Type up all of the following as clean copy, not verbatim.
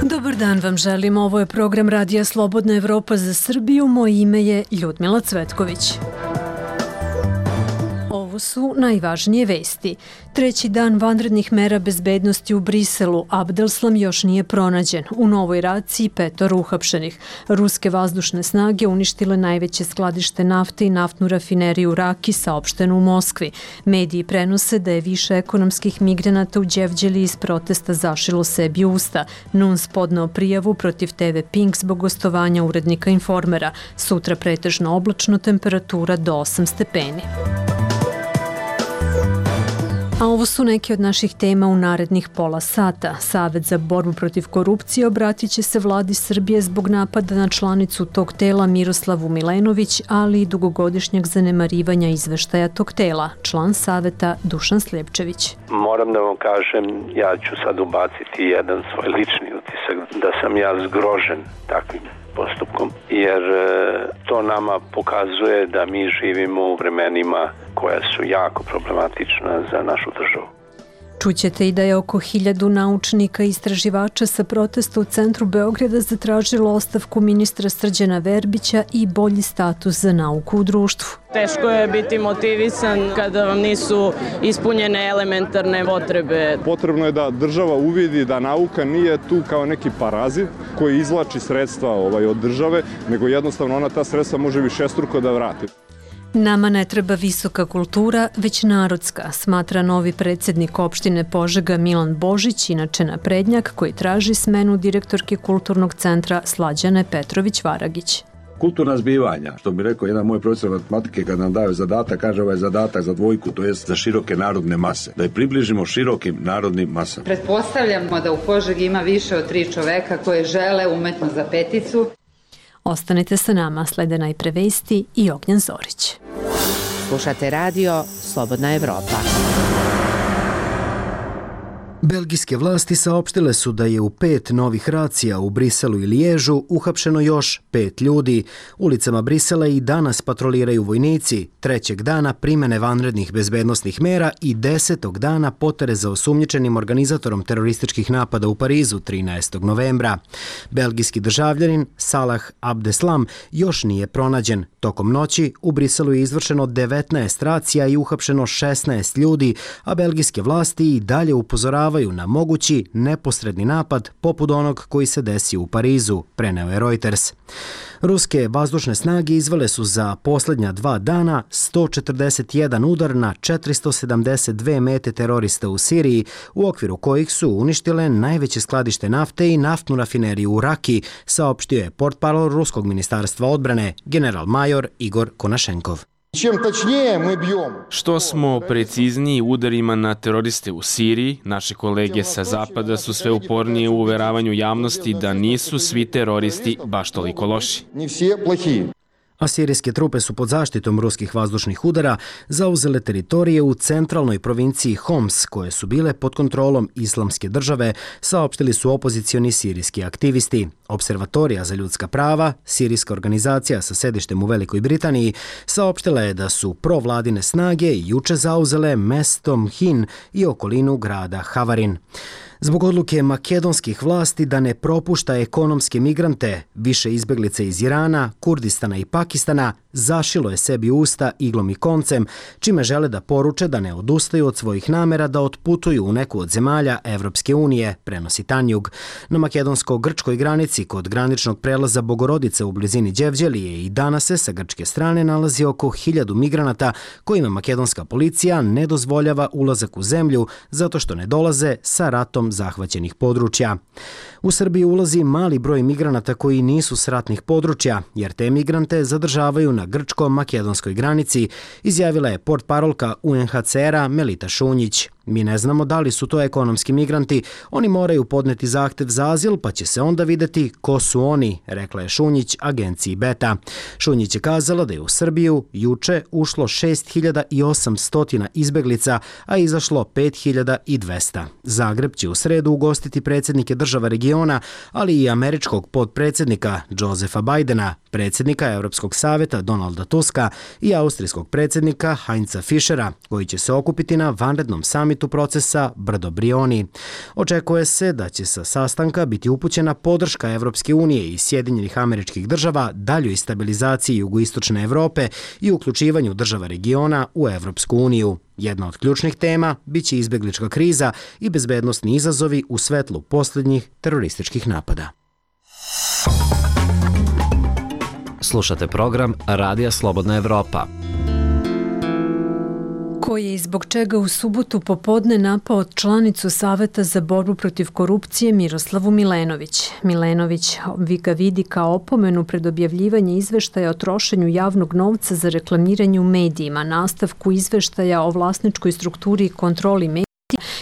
Dobar dan vam želim, ovo je program Radija Slobodna Evropa za Srbiju, moje ime je Ljudmila Cvetković. Ovo su najvažnije vesti. Treći dan vanrednih mera bezbednosti u Briselu. Abdelslam još nije pronađen. U novoj raciji 5 uhapšenih. Ruske vazdušne snage uništile najveće skladište nafte i naftnu rafineriju Raki, saopšteno u Moskvi. Mediji prenose da je više ekonomskih migranata u Đevđelji iz protesta zašilo sebi usta. NUNS podneo prijavu protiv TV Pink zbog gostovanja urednika Informera. Sutra pretežno oblačno, temperatura do 8 stepeni. A ovo su neke od naših tema u narednih pola sata. Savet za borbu protiv korupcije obratit će se vladi Srbije zbog napada na članicu tog tela Miroslavu Milenović, ali i dugogodišnjeg zanemarivanja izveštaja tog tela. Član saveta Dušan Sljepčević. Moram da vam kažem, ja ću sad ubaciti jedan svoj lični utisak, da sam ja zgrožen takvim postupkom, jer to nama pokazuje da mi živimo u vremenima koja su jako problematična za našu državu. Čućete i da je oko 1000 naučnika i istraživača sa protesta u centru Beograda zatražilo ostavku ministra Srđana Verbića i bolji status za nauku u društvu. Teško je biti motivisan kada vam nisu ispunjene elementarne potrebe. Potrebno je da država uvidi da nauka nije tu kao neki parazit koji izvlači sredstva od države, nego jednostavno ona ta sredstva može višestruko da vrati. Nama ne treba visoka kultura, već narodska, smatra novi predsjednik opštine Požega Milan Božić, inače naprednjak, koji traži smenu direktorke Kulturnog centra Slađane Petrović-Varagić. Kulturna zbivanja, što bi rekao jedan moj profesor matematike kad nam daju zadatak, kaže ovaj zadatak za dvojku, to jest za široke narodne mase, da je približimo širokim narodnim masama. Pretpostavljamo da u Požegi ima više od 3 čoveka koje žele umetnost za peticu. Ostanite sa nama, slede najpre vesti i Ognjen Zorić. Slušate radio Slobodna Evropa. Belgijske vlasti saopštile su da je u 5 novih racija u Briselu i Liježu uhapšeno još 5 ljudi. Ulicama Brisela i danas patroliraju vojnici, 3. dana primene vanrednih bezbednosnih mera i 10. dana potere za osumnjičenim organizatorom terorističkih napada u Parizu 13. novembra. Belgijski državljanin Salah Abdeslam još nije pronađen. Tokom noći u Briselu je izvršeno 19 racija i uhapšeno 16 ljudi, a belgijske vlasti i dalje upozoravaju na mogući neposredni napad poput onog koji se desio u Parizu, preneo je Reuters. Ruske vazdušne snage izvele su za posljednja 2 dana 141 udar na 472 mete terorista u Siriji, u okviru kojih su uništile najveće skladište nafte i naftnu rafineriju u Raki, saopštio je portparol Ruskog ministarstva odbrane, general-major Igor Konašenkov. Što smo precizniji udarima na teroriste u Siriji, naše kolege sa zapada su sve upornije u uveravanju javnosti da nisu svi teroristi baš toliko loši. A sirijske trupe su pod zaštitom ruskih vazdušnih udara zauzele teritorije u centralnoj provinciji Homs, koje su bile pod kontrolom Islamske države, saopštili su opozicioni sirijski aktivisti. Observatorija za ljudska prava, sirijska organizacija sa sedištem u Velikoj Britaniji, saopštila je da su provladine snage juče zauzele mesto Mhin i okolinu grada Havarin. Zbog odluke makedonskih vlasti da ne propušta ekonomske migrante, više izbeglica iz Irana, Kurdistana i Pakistana zašilo je sebi usta iglom i koncem, čime žele da poruče da ne odustaju od svojih namera da otputuju u neku od zemalja Evropske unije, prenosi Tanjug. Na makedonsko-grčkoj granici kod graničnog prelaza Bogorodice u blizini Đevđelije i danas se sa grčke strane nalazi oko 1000 migranata kojima makedonska policija ne dozvoljava ulazak u zemlju zato što ne dolaze sa ratom zahvaćenih područja. U Srbiji ulazi mali broj migranata koji nisu s ratnih područja, jer te migrante zadržavaju na grčko-makedonskoj granici, izjavila je portparolka UNHCR-a Melita Šunjić. Mi ne znamo da li su to ekonomski migranti, oni moraju podneti zahtev za azil pa će se onda videti ko su oni, rekla je Šunjić agenciji Beta. Šunjić je kazala da je u Srbiju juče ušlo 6800 izbeglica, a izašlo 5200. Zagreb će u sredu ugostiti predsjednike država regiona, ali i američkog potpredsjednika Josefa Bidena, predsjednika Europskog savjeta Donalda Tuska i austrijskog predsjednika Heinza Fischera, koji će se okupiti na vanrednom samitu samitu procesa Brdo Brioni. Očekuje se da će sa sastanka biti upućena podrška Evropske unije i Sjedinjenih Američkih Država daljoj stabilizaciji jugoistočne Evrope i uključivanju država regiona u Evropsku uniju. Jedna od ključnih tema biće izbeglička kriza i bezbednosni izazovi u svetlu posljednjih terorističkih napada. Slušate program Radija Slobodna Evropa. Ko je i zbog čega u subotu popodne napao članicu Saveta za borbu protiv korupcije Miroslavu Milenović. Milenović ga vidi kao opomenu pred objavljivanje izveštaja o trošenju javnog novca za reklamiranje u medijima, nastavku izveštaja o vlasničkoj strukturi i kontroli medija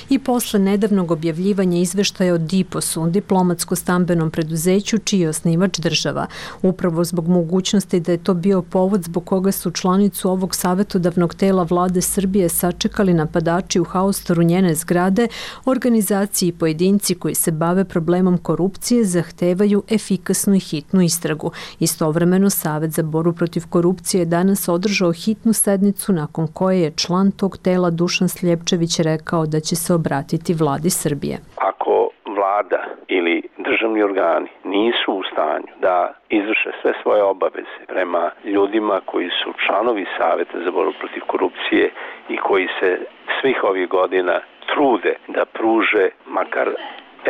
i posle nedavnog objavljivanja izveštaja o DIPOS-u, diplomatsko-stambenom preduzeću čiji je osnivač država. Upravo zbog mogućnosti da je to bio povod zbog koga su članicu ovog savjetodavnog tela vlade Srbije sačekali napadači u haostoru njene zgrade, organizaciji i pojedinci koji se bave problemom korupcije zahtevaju efikasnu i hitnu istragu. Istovremeno, Savet za borbu protiv korupcije je danas održao hitnu sednicu nakon koje je član tog tela Dušan Sljepčević rekao da će se obratiti vladi Srbije. Ako vlada ili državni organi nisu u stanju da izvrše sve svoje obaveze prema ljudima koji su članovi Saveta za borbu protiv korupcije i koji se svih ovih godina trude da pruže makar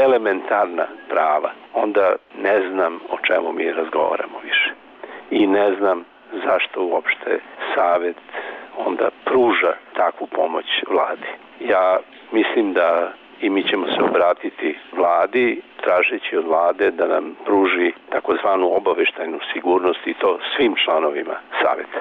elementarna prava, onda ne znam o čemu mi razgovaramo više. I ne znam zašto uopšte Savet onda pruža takvu pomoć vladi. Ja mislim da i mi ćemo se obratiti vladi, tražeći od vlade da nam pruži takozvanu obaveštajnu sigurnost i to svim članovima Saveta.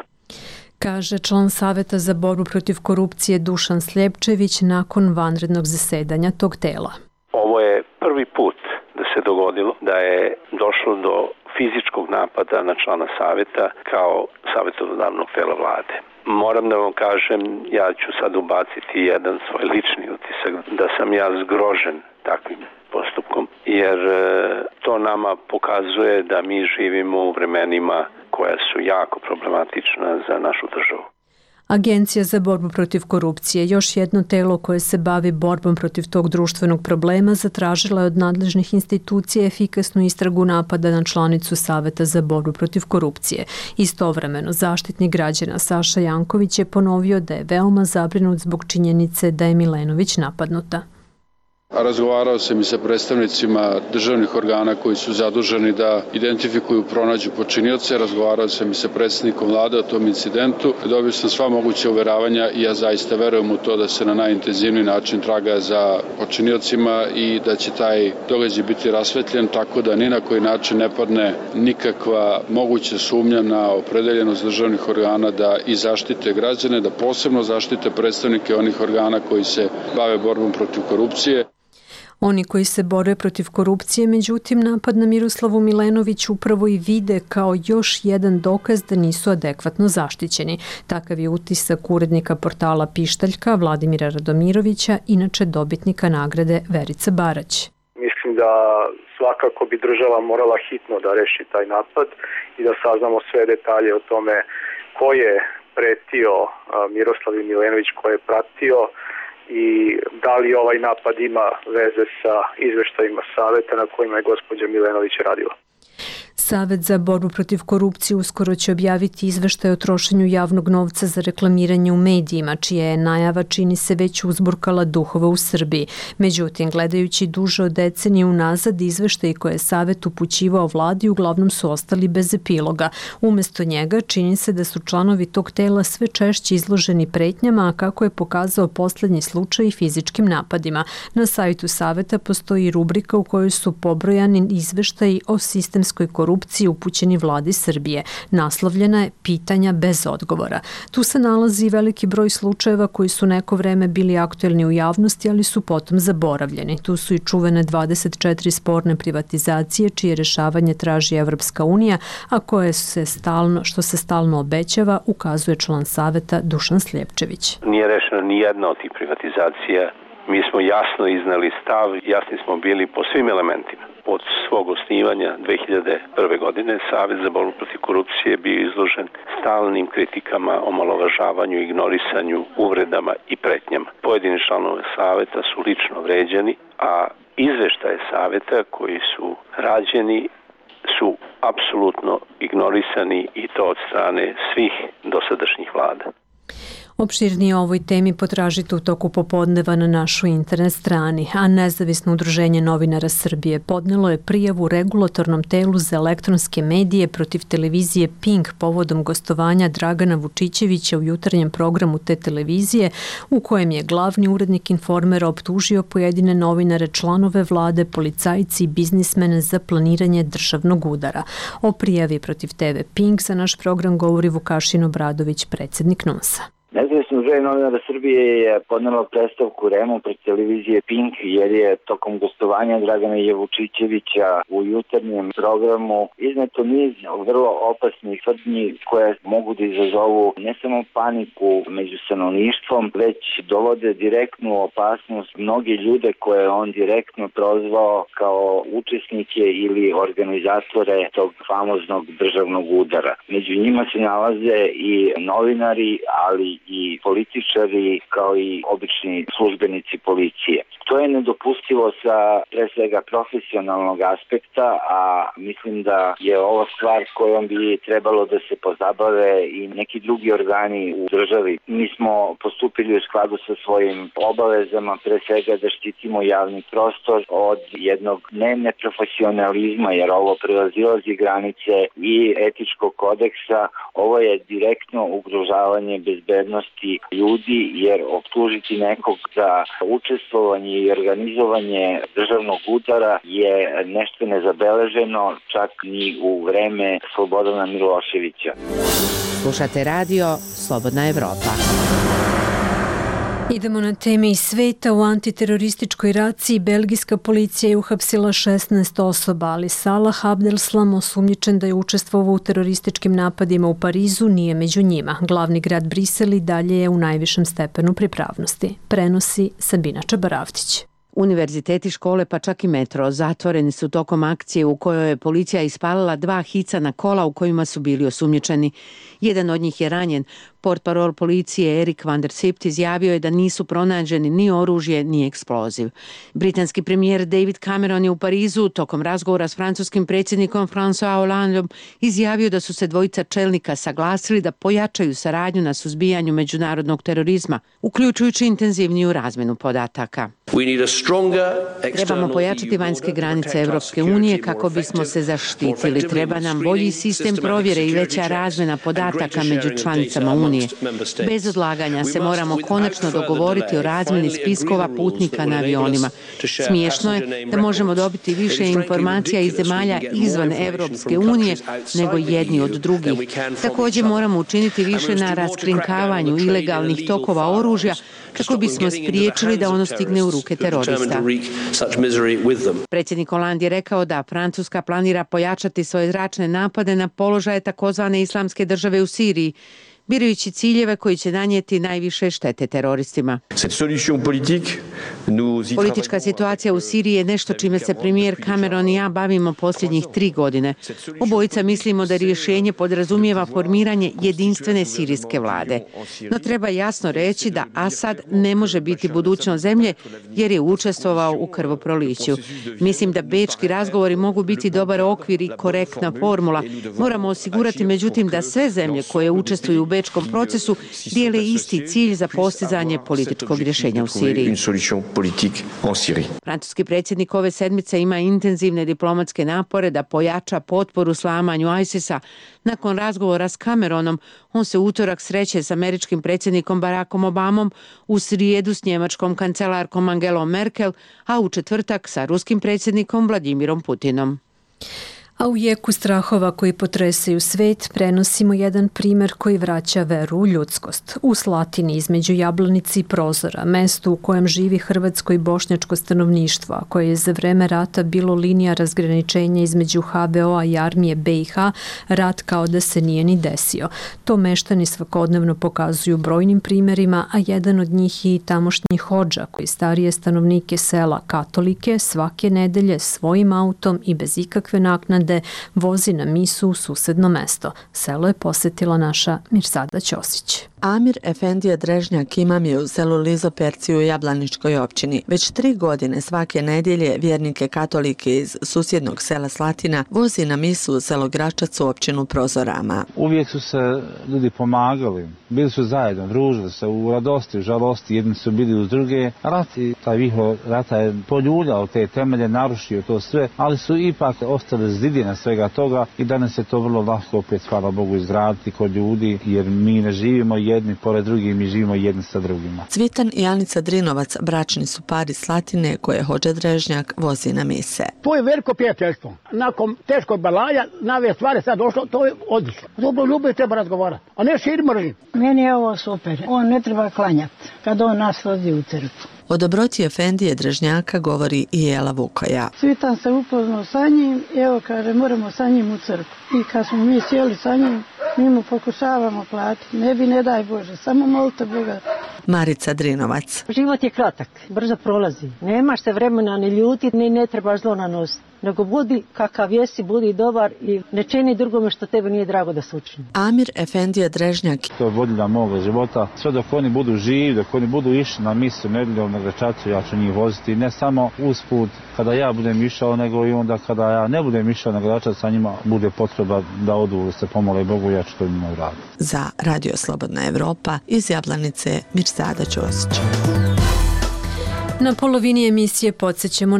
Kaže član Saveta za borbu protiv korupcije Dušan Sljepčević nakon vanrednog zasedanja tog tela. Ovo je prvi put da se dogodilo da je došlo do fizičkog napada na člana Saveta kao savjetodavnog tela vlade. Moram da vam kažem, ja ću sad ubaciti jedan svoj lični utisak, da sam ja zgrožen takvim postupkom, jer to nama pokazuje da mi živimo u vremenima koja su jako problematična za našu državu. Agencija za borbu protiv korupcije, još jedno telo koje se bavi borbom protiv tog društvenog problema, zatražila je od nadležnih institucija efikasnu istragu napada na članicu Saveta za borbu protiv korupcije. Istovremeno, zaštitnik građana Saša Janković je ponovio da je veoma zabrinut zbog činjenice da je Milenović napadnuta. Razgovarao sam i sa predstavnicima državnih organa koji su zaduženi da identifikuju, pronađu počinioce. Razgovarao sam i sa predsjednikom vlade o tom incidentu. Dobio sam sva moguća uveravanja i ja zaista verujem u to da se na najintenzivniji način traga za počiniocima i da će taj događaj biti rasvetljen tako da ni na koji način ne padne nikakva moguća sumnja na opredeljenost državnih organa da i zaštite građane, da posebno zaštite predstavnike onih organa koji se bave borbom protiv korupcije. Oni koji se bore protiv korupcije, međutim, napad na Miroslavu Milenović upravo i vide kao još jedan dokaz da nisu adekvatno zaštićeni. Takav je utisak urednika portala Pištaljka Vladimira Radomirovića, inače dobitnika nagrade Verica Barać. Mislim da svakako bi država morala hitno da reši taj napad i da saznamo sve detalje o tome ko je pretio Miroslavu Milenović, ko je pratio i da li ovaj napad ima veze sa izveštajima Saveta na kojima je gospođa Milenović radila. Savet za borbu protiv korupcije uskoro će objaviti izveštaj o trošenju javnog novca za reklamiranje u medijima, čija je najava čini se već uzburkala duhove u Srbiji. Međutim, gledajući duže od decenije unazad, izveštaji koje je Savet upućivao vladi uglavnom su ostali bez epiloga. Umesto njega čini se da su članovi tog tela sve češće izloženi pretnjama, a kako je pokazao poslednji slučaj i fizičkim napadima. Na sajtu Saveta postoji rubrika u kojoj su pobrojani izveštaji o sistemskoj korupciji upućeni vladi Srbije. Naslovljena je Pitanja bez odgovora. Tu se nalazi veliki broj slučajeva koji su neko vreme bili aktuelni u javnosti, ali su potom zaboravljeni. Tu su i čuvene 24 sporne privatizacije, čije rešavanje traži Evropska unija, a što se stalno obećava, ukazuje član Saveta Dušan Sljepčević. Nije rešena ni jedna od tih privatizacija. Mi smo jasno iznali stav, jasni smo bili po svim elementima. od svog osnivanja 2001. godine Savet za borbu protiv korupcije je bio izložen stalnim kritikama, omalovažavanju, ignorisanju, uvredama i pretnjama. Pojedini članovi Saveta su lično vređani, a izveštaje Saveta koji su rađeni su apsolutno ignorisani i to od strane svih dosadašnjih vlada. Opširnije o ovoj temi potražite u toku popodneva na našoj internet strani, a Nezavisno udruženje novinara Srbije podnelo je prijavu regulatornom telu za elektronske medije protiv televizije Pink povodom gostovanja Dragana Vučićevića u jutarnjem programu te televizije, u kojem je glavni urednik Informera optužio pojedine novinare, članove vlade, policajci i biznismene za planiranje državnog udara. O prijavi protiv TV Pink za naš program govori Vukašin Obradović, predsjednik NUNS-a. Nezavisno udruženje novinara Srbije je podnelo predstavku REM-u pred televizije Pink jer je tokom gostovanja Dragana Vučićevića u jutarnjem programu izneto niz vrlo opasnih tvrdnji koje mogu da izazovu ne samo paniku među stanovništvom, već dovode direktnu opasnost mnogi ljude koje on direktno prozvao kao učesnike ili organizatore tog famoznog državnog udara. Među njima se nalaze i novinari, ali i političari kao i obični službenici policije. To je nedopustivo sa pre svega profesionalnog aspekta, a mislim da je ovo stvar kojom bi trebalo da se pozabave i neki drugi organi u državi. Mi smo postupili u skladu sa svojim obavezama, pre svega da štitimo javni prostor od jednog neprofesionalizma, jer ovo prevazilazi granice i etičkog kodeksa. Ovo je direktno ugrožavanje bezbednosti ljudi, jer optužiti nekog za učestvovanje i organizovanje državnog udara je nešto nezabeleženo čak ni u vreme Slobodana Miloševića. Slušate radio Slobodna Evropa. Idemo na teme iz sveta. U antiterorističkoj raciji belgijska policija je uhapsila 16 osoba, ali Salah Abdeslam, osumnjičen da je učestvovao u terorističkim napadima u Parizu, nije među njima. Glavni grad Brisel i dalje je u najvišem stepenu pripravnosti. Prenosi Sabina Čabaravtić. Univerziteti, škole pa čak i metro zatvoreni su tokom akcije u kojoj je policija ispalila 2 hicana kola u kojima su bili osumnjičeni. Jedan od njih je ranjen. Portparol policije Erik van der Sipt izjavio je da nisu pronađeni ni oružje ni eksploziv. Britanski premijer David Cameron je u Parizu tokom razgovora s francuskim predsjednikom François Hollandom izjavio da su se dvojica čelnika saglasili da pojačaju saradnju na suzbijanju međunarodnog terorizma, uključujući intenzivniju razmjenu podataka. Trebamo pojačati vanjske granice Evropske unije kako bismo se zaštitili. Treba nam bolji sistem provjere i veća razmjena podataka među članicama Unije. Bez odlaganja se moramo konačno dogovoriti o razmjeni spiskova putnika na avionima. Smiješno je da možemo dobiti više informacija iz zemalja izvan Evropske unije nego jedni od drugih. Također moramo učiniti više na raskrinkavanju ilegalnih tokova oružja kako bismo spriječili da ono stigne u ruke terorista. Predsjednik Hollande je rekao da Francuska planira pojačati svoje zračne napade na položaje takozvane islamske države u Siriji, birajući ciljeve koji će nanijeti najviše štete teroristima. Politička situacija u Siriji je nešto čime se premijer Cameron i ja bavimo posljednjih 3 godine. Obojica mislimo da rješenje podrazumijeva formiranje jedinstvene sirijske vlade. No treba jasno reći da Asad ne može biti budućnost zemlje jer je učestvovao u krvoproliću. Mislim da bečki razgovori mogu biti dobar okvir i korektna formula. Moramo osigurati međutim da sve zemlje koje učestvuju u bečkom procesu dijele isti cilj za postizanje političkog rješenja u Siriji. Francuski predsjednik ove sedmice ima intenzivne diplomatske napore da pojača potporu slamanju ISIS-a. Nakon razgovora s Cameronom, on se utorak sreće s američkim predsjednikom Barackom Obamom, u srijedu s njemačkom kancelarkom Angelom Merkel, a u četvrtak sa ruskim predsjednikom Vladimirom Putinom. A u jeku strahova koji potresaju svet prenosimo jedan primer koji vraća veru u ljudskost. U Slatini između Jablanice i Prozora, mesto u kojem živi hrvatsko i bošnjačko stanovništvo, a koje je za vreme rata bilo linija razgraničenja između HVO-a i armije BiH, rat kao da se nije ni desio. To meštani svakodnevno pokazuju brojnim primerima, a jedan od njih je i tamošnji hodža koji starije stanovnike sela katolike svake nedelje svojim autom i bez ikakve naknade vozi na misu u susedno mesto. Selo je posetila naša Mirsada Ćosić. Amir Efendija Drežnjak imam je u selu Lizoperci u Jablaničkoj općini. Već 3 godine svake nedjelje vjernike katolike iz susjednog sela Slatina vozi na misu u selo Gračac u općinu Prozorama. Uvijek su se ljudi pomagali, bili su zajedno, družili se u radosti, u žalosti, jedni su bili uz druge. Rat i taj vihor rata je poljuljao te temelje, narušio to sve, ali su ipak ostale zidine svega toga i danas je to vrlo lahko opet, hvala Bogu, izgraditi kod ljudi, jer mi ne živimo jedni pored drugih, mi živimo jedni sa drugima. Cvitan i Anica Drinovac bračni su par iz Slatine koje hodža Drežnjak vozi na mise. To je veliko prijateljstvo. Nakon teškog balaja, nove stvari sad došlo, to je odlično. Dobro ljubav treba razgovarati, a ne šir mržnju. Meni je ovo super. On ne treba klanjati kad on nas vozi u crkvu. O dobroti Efendije Drežnjaka govori i Jela Vukoja. Cvitan se upoznao sa njim, evo kaže moramo sa njim u crkvu. I kad smo mi sjeli sa njim, mi mu pokušavamo platiti. Ne bi, ne daj Bože, samo molite Boga. Marica Drinovac. Život je kratak, brzo prolazi. Nemaš se vremena ni ljutiti, ni ne trebaš zlo nanositi. Nego budi kakav jesi, budi dobar i ne čini drugome što tebe nije drago da se učini. Amir Efendija Drežnjak. To je vodilja moga života. Sve dok oni budu živi, dok oni budu išli na misu nedjeljom na Gračacu, ja ću njih voziti. Ne samo usput kada ja budem išao, nego i onda kada ja ne budem išao na Gračac, sa njima bude potreba da odu se pomole Bogu, ja ću to njima uraditi. Za Radio Slobodna Evropa iz Jablanice Mirsada Ćosić. Na polovini emisije podsjećamo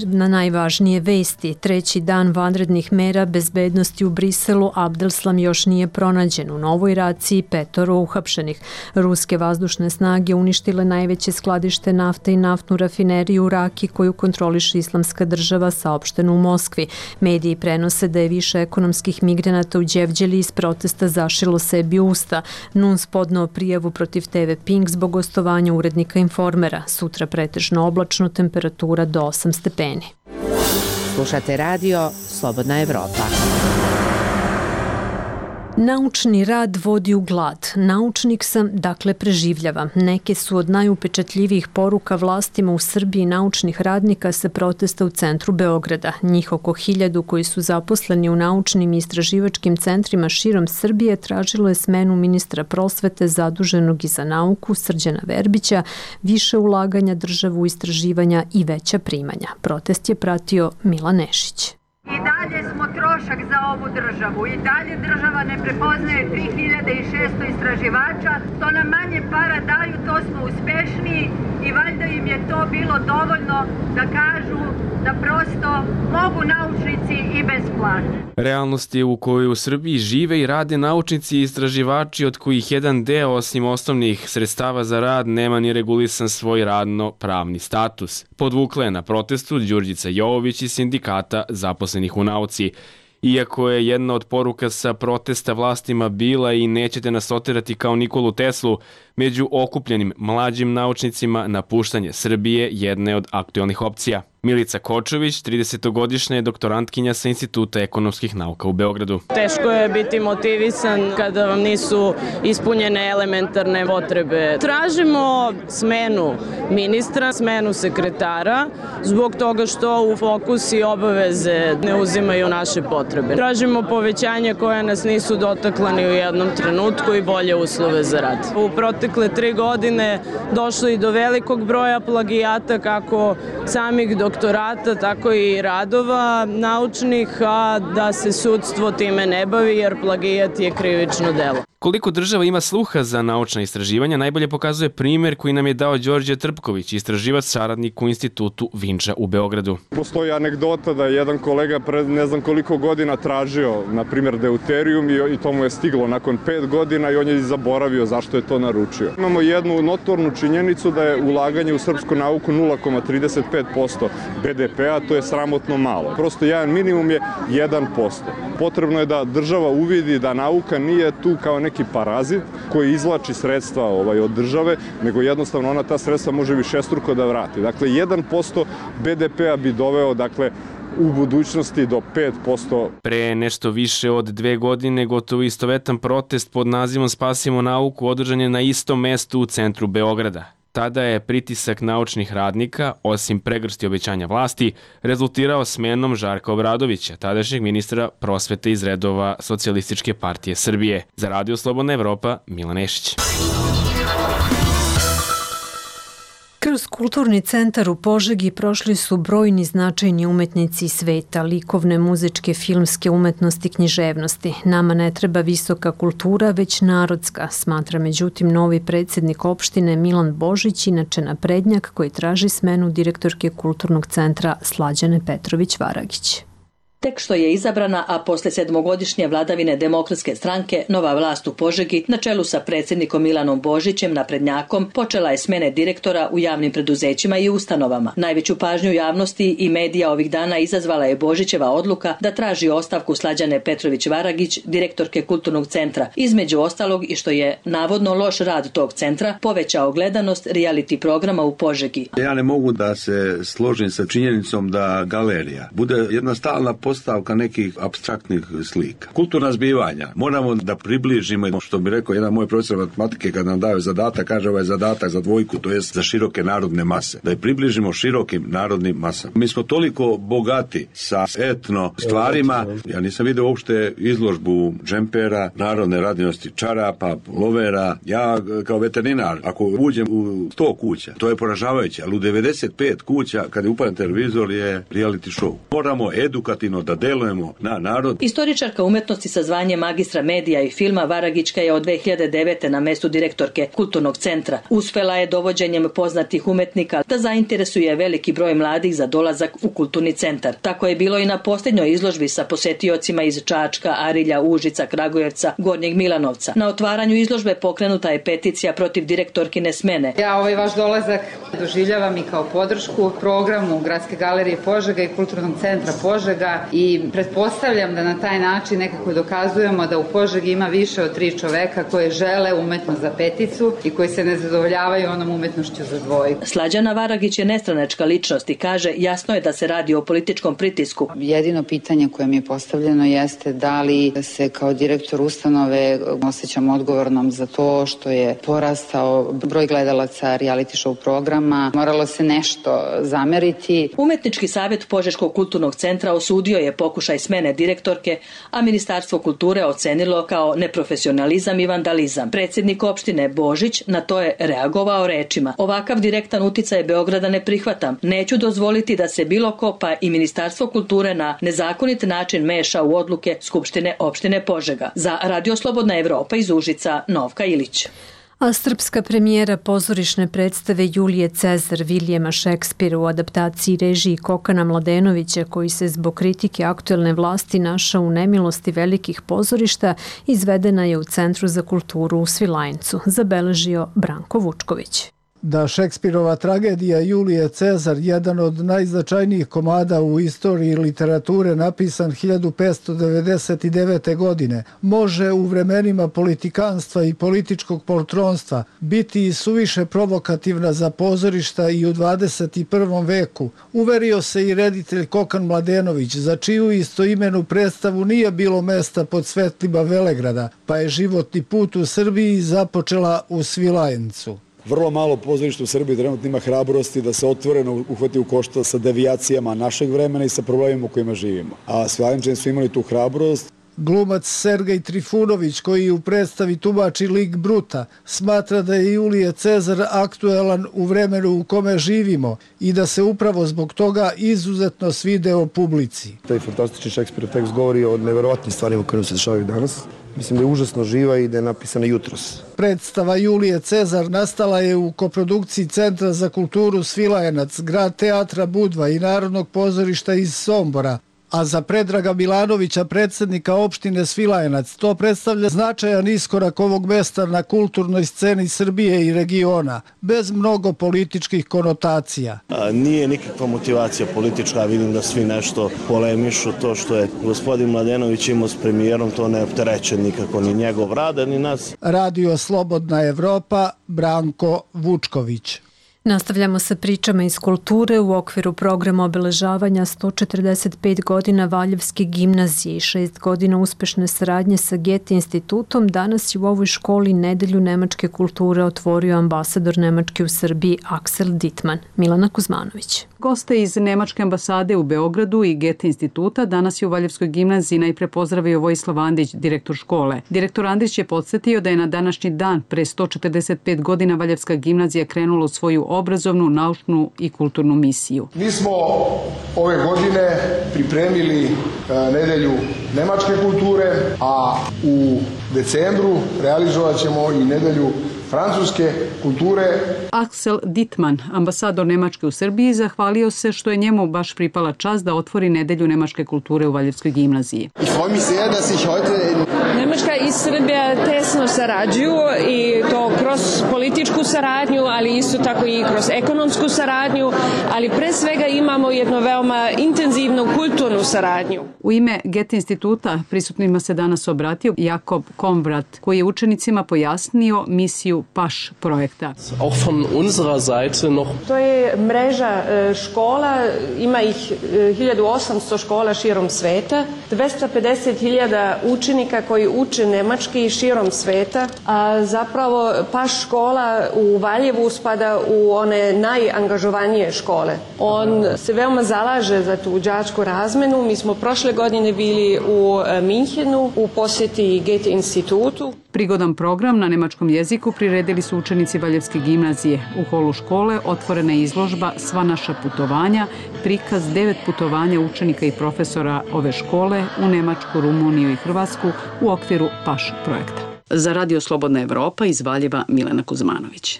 na najvažnije vesti. 3. dan vanrednih mera bezbednosti u Briselu, Abdelslam još nije pronađen. U novoj raciji 5 uhapšenih. Ruske vazdušne snage uništile najveće skladište nafte i naftnu rafineriju u Raki koju kontroliše Islamska država, saopšteno u Moskvi. Mediji prenose da je više ekonomskih migranata u Đevđeli iz protesta zašilo sebi usta. NUNS podneo prijavu protiv TV Pink zbog gostovanja urednika Informera. Sutra pretežno oblačno, temperatura do 8 stepeni. Slušate radio Slobodna Evropa. Naučni rad vodi u glad. Naučnik sam, dakle preživljavam. Neke su od najupečatljivijih poruka vlastima u Srbiji naučnih radnika sa protesta u centru Beograda. Njih oko 1000 koji su zaposleni u naučnim i istraživačkim centrima širom Srbije tražilo je smenu ministra prosvete zaduženog i za nauku Srđana Verbića, više ulaganja državu u istraživanja i veća primanja. Protest je pratio Milan Nešić. I dalje smo trošak za ovu državu. I dalje država ne prepoznaje 3600 istraživača. To nam manje para daju, to smo uspešniji i valjda im je to bilo dovoljno da kažu da prosto mogu naučnici i bez plate. Realnost je u kojoj u Srbiji žive i rade naučnici i istraživači od kojih jedan deo osim osnovnih sredstava za rad nema ni regulisan svoj radno-pravni status. Podvukla je na protestu Đurđica Jovović iz sindikata zaposlenih u nauci. Iako je jedna od poruka sa protesta vlastima bila i nećete nas oterati kao Nikolu Teslu, među okupljenim mlađim naučnicima napuštanje Srbije jedne od aktualnih opcija. Milica Kočović, 30-godišnja je doktorantkinja sa Instituta ekonomskih nauka u Beogradu. Teško je biti motivisan kada vam nisu ispunjene elementarne potrebe. Tražimo smenu ministra, smenu sekretara, zbog toga što u fokus i obaveze ne uzimaju naše potrebe. Tražimo povećanje koje nas nisu dotakla ni u jednom trenutku i bolje uslove za rad. U protekle 3 godine došlo i do velikog broja plagijata, kako samih doktorata, tako i radova naučnih, a da se sudstvo time ne bavi jer plagijat je krivično delo. Koliko država ima sluha za naučna istraživanja najbolje pokazuje primjer koji nam je dao Đorđe Trpković, istraživač saradnik u Institutu Vinča u Beogradu. Postoji anegdota da je jedan kolega pred ne znam koliko godina tražio, na primjer, deuterijum i to mu je stiglo nakon 5 godina i on je zaboravio zašto je to naručio. Imamo jednu notornu činjenicu da je ulaganje u srpsku nauku 0,35% BDP-a, to je sramotno malo. Prosto jedan minimum je 1%. Potrebno je da država uvidi da nauka nije tu kao neki parazit koji izvlači sredstva od države, nego jednostavno ona ta sredstva može višestruko da vrati. Dakle, 1% BDP-a bi doveo, u budućnosti do 5%. Pre nešto više od 2 godine gotovo istovetan protest pod nazivom Spasimo nauku održan je na istom mestu u centru Beograda. Tada je pritisak naučnih radnika, osim pregršti obećanja vlasti, rezultirao smenom Žarka Obradovića, tadašnjeg ministra prosvete iz redova Socijalističke partije Srbije. Za Radio Slobodna Evropa, Milan Nešić. Kroz kulturni centar u Požegi prošli su brojni značajni umetnici sveta, likovne, muzičke, filmske umetnosti, književnosti. Nama ne treba visoka kultura, već narodska, smatra međutim novi predsjednik opštine Milan Božić, inače naprednjak koji traži smenu direktorke kulturnog centra Slađane Petrović-Varagić. Tek što je izabrana, a posle 7-godišnje vladavine Demokratske stranke, nova vlast u Požegi, na čelu sa predsjednikom Milanom Božićem, naprednjakom, počela je smene direktora u javnim preduzećima i ustanovama. Najveću pažnju javnosti i medija ovih dana izazvala je Božićeva odluka da traži ostavku Slađane Petrović-Varagić, direktorke kulturnog centra. Između ostalog i što je navodno loš rad tog centra povećao gledanost reality programa u Požegi. Ja ne mogu da se složim sa činjenicom da galerija bude jedna stalna postavka nekih apstraktnih slika. Kulturna zbivanja. Moramo da približimo, što bi rekao jedan moj profesor matematike kad nam daju zadatak, kaže ovaj zadatak za dvojku, to jest za široke narodne mase. Da je približimo širokim narodnim masama. Mi smo toliko bogati sa etno stvarima. Ja nisam vidio uopšte izložbu džempera, narodne radinosti, čarapa, lovera. Ja kao veterinar, ako uđem u 100 kuća, to je poražavajuće, ali u 95 kuća, kad je upadan televizor, je reality show. Moramo edukativno da delujemo na narod. Istoričarka umetnosti sa zvanjem magistra medija i filma Varagićka je od 2009. na mestu direktorke kulturnog centra. Uspela je dovođenjem poznatih umetnika da zainteresuje veliki broj mladih za dolazak u kulturni centar. Tako je bilo i na posljednjoj izložbi sa posetiocima iz Čačka, Arilja, Užica, Kragujevca, Gornjeg Milanovca. Na otvaranju izložbe pokrenuta je peticija protiv direktorkine smene. Ja ovaj vaš dolazak doživljavam i kao podršku programu Gradske galerije Požega i kulturnog centra Požega i pretpostavljam da na taj način nekako dokazujemo da u Požegi ima više od 3 čoveka koje žele umetnost za peticu i koji se ne zadovoljavaju onom umetnošću za dvojku. Slađana Varagić je nestranačka ličnost i kaže jasno je da se radi o političkom pritisku. Jedino pitanje koje mi je postavljeno jeste da li se kao direktor ustanove osjećam odgovornom za to što je porastao broj gledalaca reality show programa. Moralo se nešto zameriti. Umetnički savjet Požeškog kulturnog centra osudio je pokušaj smene direktorke, a Ministarstvo kulture ocenilo kao neprofesionalizam i vandalizam. Predsjednik opštine Božić na to je reagovao rečima: ovakav direktan uticaj Beograda ne prihvatam. Neću dozvoliti da se bilo ko, pa i Ministarstvo kulture, na nezakonit način meša u odluke Skupštine opštine Požega. Za Radio Slobodna Evropa iz Užica, Novka Ilić. A srpska premijera pozorišne predstave Julije Cezar Vilijema Šekspira u adaptaciji režiji Kokana Mladenovića, koji se zbog kritike aktuelne vlasti našao u nemilosti velikih pozorišta, izvedena je u Centru za kulturu u Svilajncu, zabeležio Branko Vučković. Da Šekspirova tragedija Julije Cezar, jedan od najznačajnijih komada u istoriji literature, napisan 1599. godine, može u vremenima politikanstva i političkog poltronstva biti i suviše provokativna za pozorišta i u 21. veku, uverio se i reditelj Kokan Mladenović, za čiju istoimenu predstavu nije bilo mesta pod svetlima Velegrada, pa je životni put u Srbiji započela u Svilajncu. Vrlo malo pozorišta u Srbiji trenutno ima hrabrosti da se otvoreno uhvati u koštac sa devijacijama našeg vremena i sa problemima u kojima živimo. A Svilajnčani su imali tu hrabrost Glumac Sergej Trifunović, koji u predstavi tumači lik Bruta, smatra da je Julije Cezar aktuelan u vremenu u kome živimo i da se upravo zbog toga izuzetno svideo publici. Taj fantastični Šekspirov tekst govori o neverovatnim stvarima koje se dešavaju danas. Mislim da je užasno živa i da je napisana jutros. Predstava Julije Cezar nastala je u koprodukciji Centra za kulturu Svilajenac, Grad teatra Budva i Narodnog pozorišta iz Sombora. A za Predraga Milanovića, predsjednika opštine Svilajenac, to predstavlja značajan iskorak ovog mesta na kulturnoj sceni Srbije i regiona, bez mnogo političkih konotacija. Nije nikakva motivacija politička, vidim da svi nešto polemišu. To što je gospodin Mladenović imao s premijerom, to ne optereće nikako ni njegov rad, ni nas. Radio Slobodna Evropa, Branko Vučković. Nastavljamo sa pričama iz kulture u okviru programa obeležavanja 145 godina Valjevske gimnazije i 6 godina uspešne saradnje sa Goethe institutom. Danas je u ovoj školi Nedelju nemačke kulture otvorio ambasador Nemačke u Srbiji Axel Dittmann. Milana Kuzmanović. Goste iz Nemačke ambasade u Beogradu i Goethe instituta danas je u Valjevskoj gimnaziji najpre pozdravio Vojislav Andrić, direktor škole. Direktor Andrić je podsjetio da je na današnji dan pre 145 godina Valjevska gimnazija krenula u svoju obrazovnu, naučnu i kulturnu misiju. Mi smo ove godine pripremili Nedelju nemačke kulture, a u decembru realizovat ćemo i Nedelju francuske kulture. Axel Dittmann, ambasador Nemačke u Srbiji, zahvalio se što je njemu baš pripala čast da otvori Nedelju nemačke kulture u Valjevskoj gimnaziji. Nemačka i Srbija tesno sarađuju i to kroz političku saradnju, ali isto tako i kroz ekonomsku saradnju, ali pre svega imamo jednu veoma intenzivnu kulturnu saradnju. U ime Goethe instituta prisutnima se danas obratio Jakob Komvrat, koji je učenicima pojasnio misiju PAŠ projekta. To je mreža škola, ima ih 1800 škola širom sveta, 250.000 učenika koji uče nemački širom sveta, a zapravo PAŠ škola u Valjevu spada u one najangažovanije škole. On se veoma zalaže za tu đačku razmenu. Mi smo prošle godine bili u Minhenu u posjeti Goethe institutu. Prigodan program na nemačkom jeziku priredili su učenici Valjevske gimnazije. U holu škole otvorena je izložba Sva naša putovanja, prikaz 9 putovanja učenika i profesora ove škole u Nemačku, Rumuniju i Hrvatsku u okviru PAŠ projekta. Za Radio Slobodna Evropa iz Valjeva Milena Kuzmanović.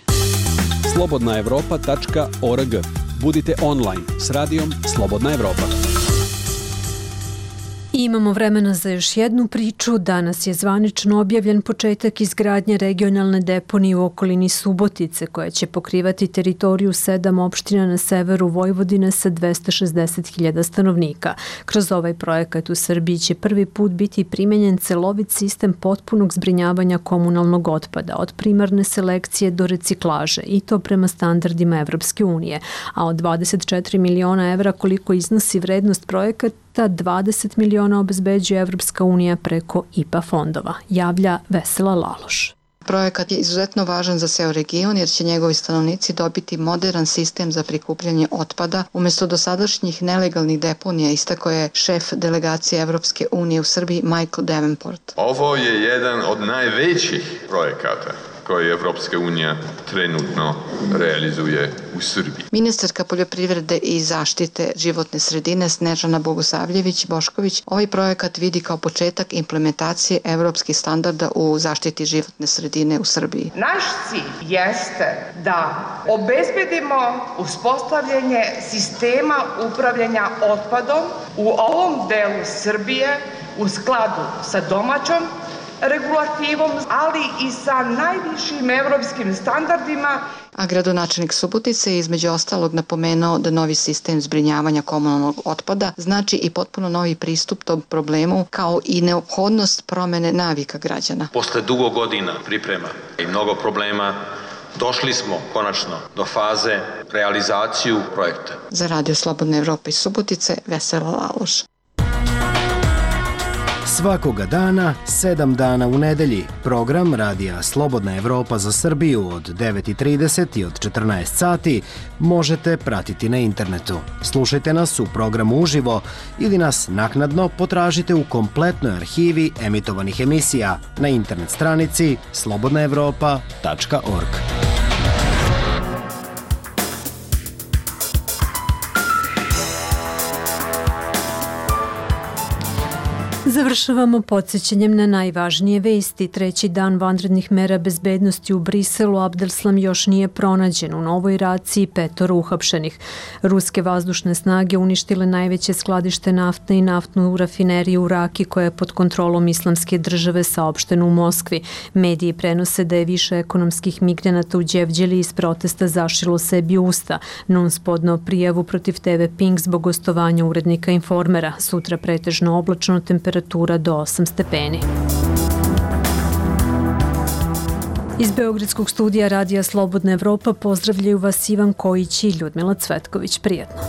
slobodnaevropa.org. Budite online s radijom Slobodna Evropa. Imamo vremena za još jednu priču. Danas je zvanično objavljen početak izgradnje regionalne deponije u okolini Subotice, koja će pokrivati teritoriju 7 opština na severu Vojvodine sa 260.000 stanovnika. Kroz ovaj projekat u Srbiji će prvi put biti primenjen celovit sistem potpunog zbrinjavanja komunalnog otpada, od primarne selekcije do reciklaže, i to prema standardima Evropske unije. A od 24 miliona evra koliko iznosi vrednost projekata, 20 miliona obezbeđuje Evropska unija preko IPA fondova, javlja Vesela Laloš. Projekat je izuzetno važan za ceo region jer će njegovi stanovnici dobiti modern sistem za prikupljanje otpada umjesto dosadašnjih nelegalnih deponija, istakao je šef delegacije Evropske unije u Srbiji Michael Davenport. Ovo je jedan od najvećih projekata koji Evropska unija trenutno realizuje u Srbiji. Ministarka poljoprivrede i zaštite životne sredine Snežana Bogosavljević-Bošković ovaj projekat vidi kao početak implementacije evropskih standarda u zaštiti životne sredine u Srbiji. Naš cilj jeste da obezbedimo uspostavljanje sistema upravljanja otpadom u ovom delu Srbije u skladu sa domaćom regulativom, ali i sa najvišim evropskim standardima. A gradonačelnik Subotice je između ostalog napomenuo da novi sistem zbrinjavanja komunalnog otpada znači i potpuno novi pristup tom problemu, kao i neophodnost promene navika građana. Posle dugo godina priprema i mnogo problema došli smo konačno do faze realizaciju projekta. Za Radio Slobodna Evropa iz Subotice, Vesela Laloš. Svakoga dana, 7 dana u nedelji, program Radija Slobodna Evropa za Srbiju od 9:30 i od 14 sati možete pratiti na internetu. Slušajte nas u programu uživo ili nas naknadno potražite u kompletnoj arhivi emitovanih emisija na internet stranici slobodnaevropa.org. Završavamo podsjećanjem na najvažnije vesti. Treći dan vanrednih mera bezbednosti u Briselu, Abdeslam još nije pronađen. U novoj raciji 5 uhapšenih. Ruske vazdušne snage uništile najveće skladište nafte i naftnu rafineriju u Raki koja je pod kontrolom Islamske države, saopšteno u Moskvi. Mediji prenose da je više ekonomskih migranata u Đevđeli iz protesta zašilo sebi usta. NUNS podneo prijavu protiv TV Pink zbog gostovanja urednika Informera. Sutra pretežno oblačno, temperatura do 8 stepeni. Iz Beogradskog studija Radija Slobodna Evropa pozdravljaju vas Ivan Kojić i Ljudmila Cvetković. Prijetno.